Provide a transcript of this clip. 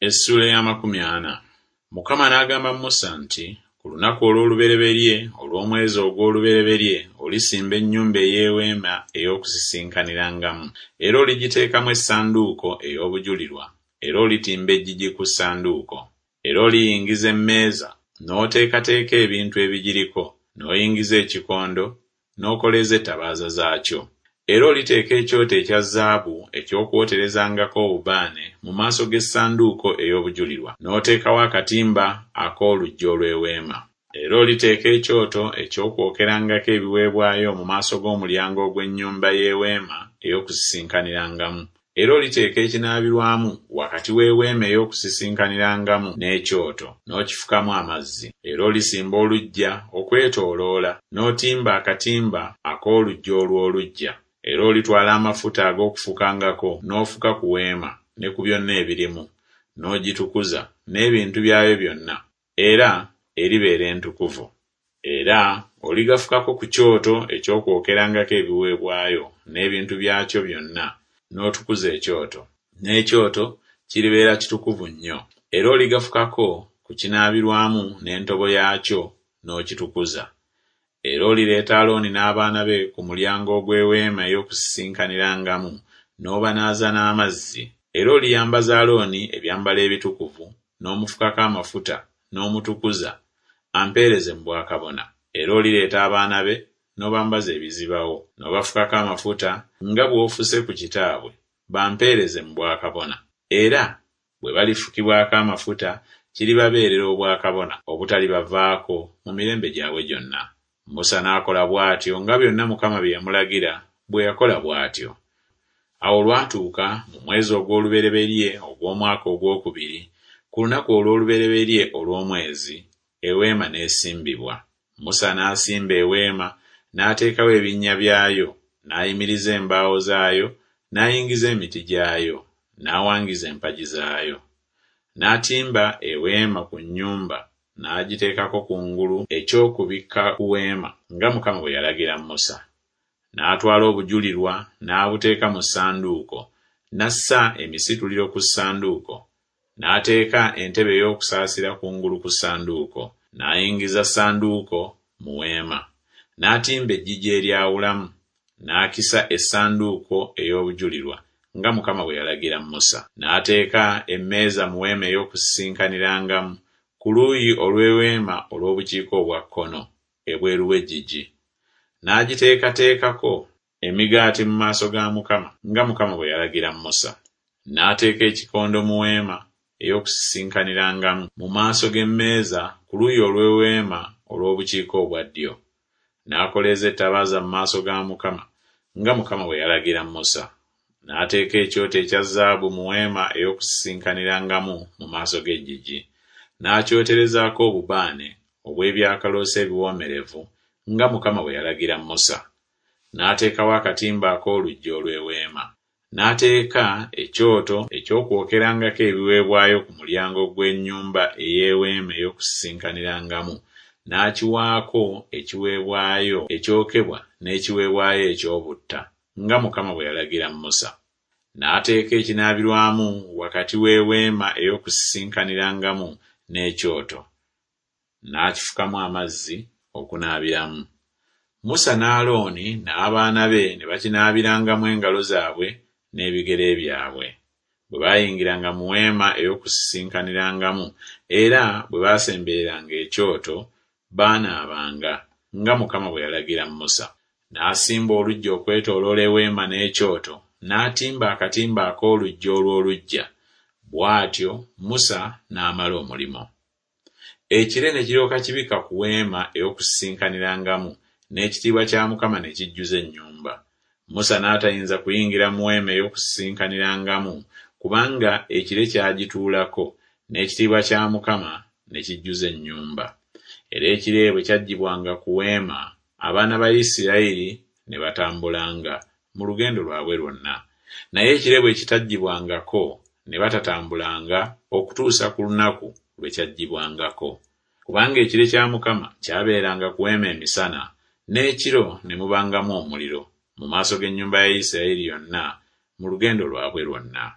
Essuula ey'amakumi ana. Mukama n'agamba Musa nti, Ku lunaku olw'olubereberye olw'omwezi ogw'olubereberye olisimba ennyumba ey'eweema ey'okusisinkanirangamu, era oligiteekamu essanduuko ey'obujulirwa, era olitimba eggigi ku ssanduuko. Era oliyingiza emmeeza, n'oteekateeka ebintu ebigiriko, n'oyingiza ekikondo, n'okoleeza ettabaaza zaakyo. Era oliteeka ekyoto ekya zaabu eky'okwoterezangako obubaane mu maaso g'essanduuko ey'obujulirwa, n'oteekawo akatimba ak'oluggi olw'eweema. Era oliteeka ekyoto eky'okwokerangako ebiweebwayo mu maaso g'omulyango ogw'ennyumba y'eweema ey'okusisinkanirangamu. Era oliteeka ekinaabirwamu wakati w'eweema ey'okusisinkanirangamu n'ekyoto, n'okifukamu amazzi. Era olisimba oluggya okwetooloola, n'otimba akatimba ak'oluggi olw'oluggya. Era olitwala amafuta ag'okufukangako n'ofuka ku weema ne ku byonna ebirimu, n'ogitukuza n'ebintu byayo byonna, era eribeera entukuvu. Era oligafukako ku kyoto eky'okwokerangako ebiweebwayo n'ebintu byakyo byonna, n'otukuza ekyoto, n'ekyoto kiribeera kitukuvu nnyo. Era oligafukako ku kinaabirwamu n'entobo yaakyo, n'okitukuza. Era olireeta Alooni n'abaana be ku mulyango ogw'eweema ey'okusisinkanirangamu, n'obanaaza n'amazzi. Era oliyambaza Alooni ebyambalo ebitukuvu, n'omufukako amafuta, n'omutukuza, ampeereze mu bwakabona. Era olireeta abaana be, n'obambaza ebizibawo, n'obafukako amafuta, nga bw'ofuse ku kitaabwe, bampeereze mu bwakabona. Era bwe balifukibwako amafuta, kiribabeerera obwakabona obutalibavaako mu mirembe gyabwe gyonna. Musa n'akola bw'atyo nga byonna Mukama bye yamulagira bwe yakola bw'atyo. Awo olwatuuka mu mwezi ogw'olubereberye ogw'omwaka ogw'okubiri, ku lunaku olw'olubereberye olw'omwezi, eweema n'esimbibwa. Musa n'asimba eweema, n'ateekawo ebinnya byayo, n'ayimiriza embaawo zaayo, n'ayingiza emiti gyayo, n'awangiza empagi zaayo. N'atimba eweema ku nnyumba, n'agiteekako kungulu eky'okubikka ku weema, nga Mukama bwe yalagira Musa. N'atwala obujulirwa n'abuteeka mu ssanduuko, n'assa emisituliro ku ssanduuko, n'ateeka entebe ey'okusaasira kungulu ku ssanduuko. N'ayingiza ssanduuko mu weema, n'atimba eggigi eryawulamu, n'akisa essanduuko ey'obujulirwa, nga Mukama bwe yalagira Musa. N'ateeka emmeeza mu weema ey'okusisinkanirangamu, ku luuyi olw'eweema olw'obukiika obwa kkono, ebweru w'eggigi. N'agiteekateekako emigaati mu maaso ga Mukama, nga Mukama bwe yalagira Musa. N'ateeka ekikondo mu weema ey'okusisinkanirangamu, mu maaso g'emmeeza ku luuyi olw'eweema olw'obukiika obwa ddyo. N'akoleeza ettabaaza mu maaso ga Mukama, nga Mukama bwe yalagira Musa. N'ateeka ekyoto ekya zaabu mu weema ey'okusisinkanirangamu mu maaso g'eggigi, n'akyoterezaako obubaane obw'ebyakaloosa ebiwoomerevu, nga Mukama bwe yalagira Musa. N'ateekawo akatimba ak'oluggi olw'eweema. N'ateeka ekyoto eky'okwokerangako ebiweebwayo ku mulyango gw'ennyumba ey'eweema ey'okusisinkanirangamu, n'akiwaako ekiweebwayo ekyokebwa n'ekiweebwayo eky'obutta, nga Mukama bwe yalagira Musa. N'ateeka ekinaabirwamu wakati w'eweema ey'okusisinkanirangamu n'ekyoto, n'akifukamu amazzi okunaabiramu. Musa ne Alooni n'abaana be ne bakinaabirangamu engalo zaabwe n'ebigere byabwe, bwe baayingiranga mu weema ey'okusisinkanirangamu, era bwe baasembereranga ekyoto, baanaabanga, nga Mukama bwe yalagira Musa. N'asimba oluggya okwetooloola eweema n'ekyoto, n'atimba akatimba ak'oluggi olw'oluggya. Bw'atyo Musa n'amala omulimu. Ekire ne kiryoka kibikka ku weema ey'okusisinkanirangamu, n'ekitiibwa kya Mukama ne kijjuza ennyumba. Musa n'atayinza kuyingira mu weema ey'okusisinkanirangamu, kubanga ekire kyagituulako, n'ekitiibwa kya Mukama ne kijjuza ennyumba. Era ekire bwe kyaggyibwanga ku weema, abaana ba Isirayiri ne batambulanga mu lugendo lwabwe lwonna. Naye ekire bwe kitaggyibwangako, ne batatambulanga okutuusa ku lunaku lwe kyaggyibwangako. Kubanga ekire kya Mukama kyabeeranga ku weema emisana, n'ekiro ne mubangamu omuliro, mu maaso g'ennyumba ya Isirayiri yonna mu lugendo lwabwe lwonna.